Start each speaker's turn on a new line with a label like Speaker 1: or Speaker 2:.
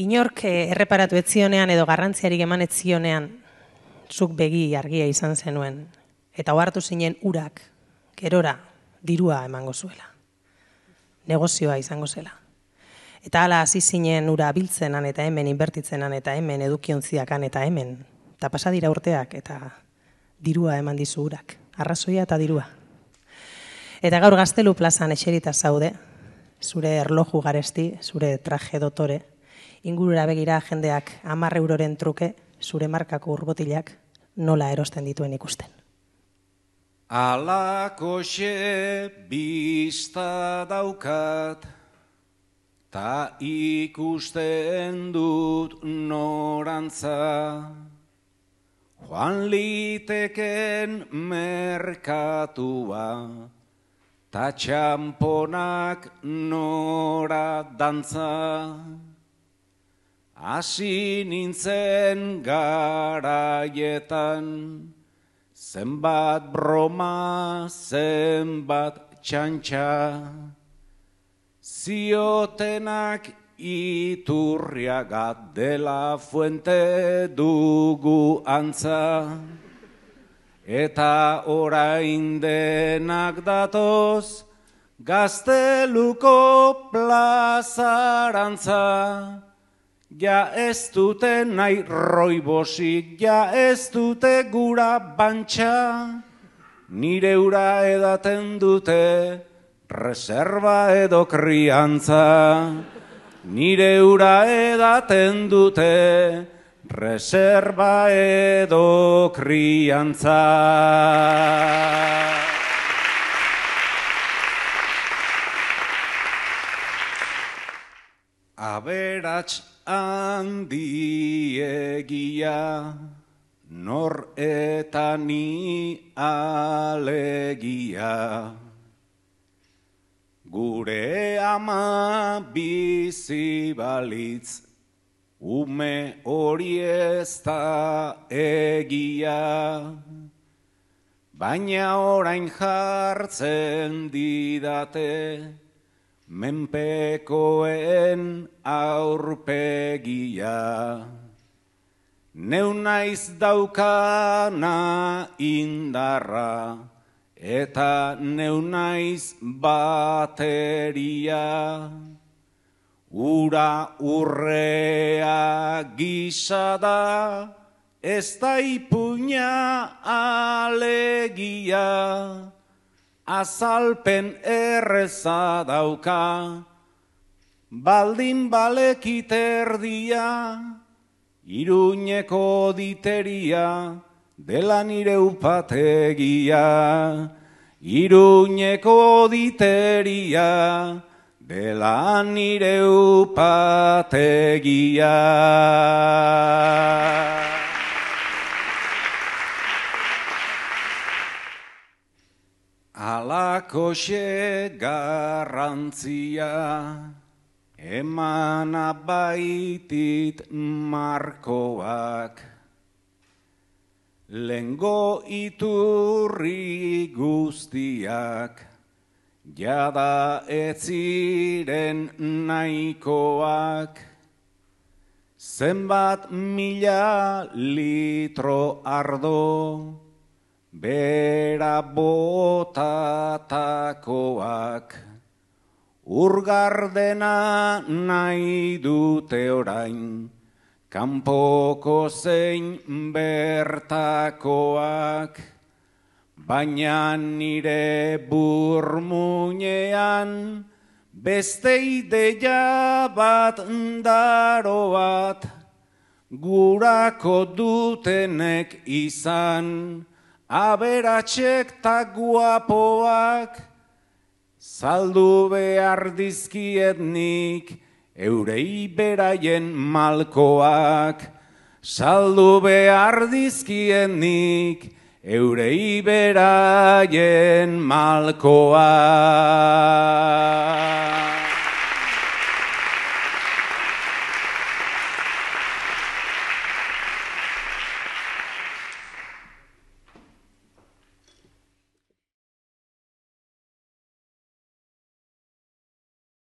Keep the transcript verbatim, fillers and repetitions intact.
Speaker 1: Inork erreparatu etzionean edo garrantziarik eman etzionean zuk begi argia izan zenuen, eta ohartu zinen urak, gerora, dirua emango zuela. Negozioa izango zela. Eta hala hasi zinen ura biltzenan eta hemen inbertitzenan eta hemen edukiontziakan eta hemen. Eta pasadira urteak eta dirua eman dizu urak. Arrazoia eta dirua. Eta gaur Gaztelu plazan eserita zaude, zure erloju garesti, zure traje dotore, ingurura begira jendeak hamar euroren truke, zure markako urbotilak nola erosten dituen ikusten.
Speaker 2: Alakoxe bista daukat, ta ikusten dut norantza, joan liteken merkatua, ta txamponak nora dantza. Hasi nintzen garaietan, zenbat broma, zenbat txantxa, ziotenak iturriagat dela fuente dugu antza, eta orain denak datoz Gazteluko plazarantza. Ja ez dute nahi roibosik, ja ez dute gura bantxa, nire ura edaten dute reserva edo kriantza. Nire ura edaten dute reserva edo kriantza. Aberats handiegia, nor eta ni alegia. Gure ama bizi balitz, ume hori ez da egia. Baina orain jartzen didate, menpekoen aurpegia. Neu naiz daukana indarra, eta neu naiz bateria. Ura urrea gisa da, ez da ipuina alegia. Azalpen erreza dauka, baldin balekit erdia, Iruñeko diteria dela nire upategia. Iruñeko diteria dela nire upategia. Alakoxe garrantzia, emana baitit markoak, lengo iturri guztiak, jada ez ziren nahikoak, zenbat mila litro ardo, bera botatakoak, urgardena nahi dute orain, kanpoko zein bertakoak, baina nire burmuinean beste ideia bat daro bat, gurako dutenek izan, aberatsek ta guapoak, saldu behar dizkiet nik eurei beraien malkoak. Saldu behar dizkiet nik eurei beraien malkoak.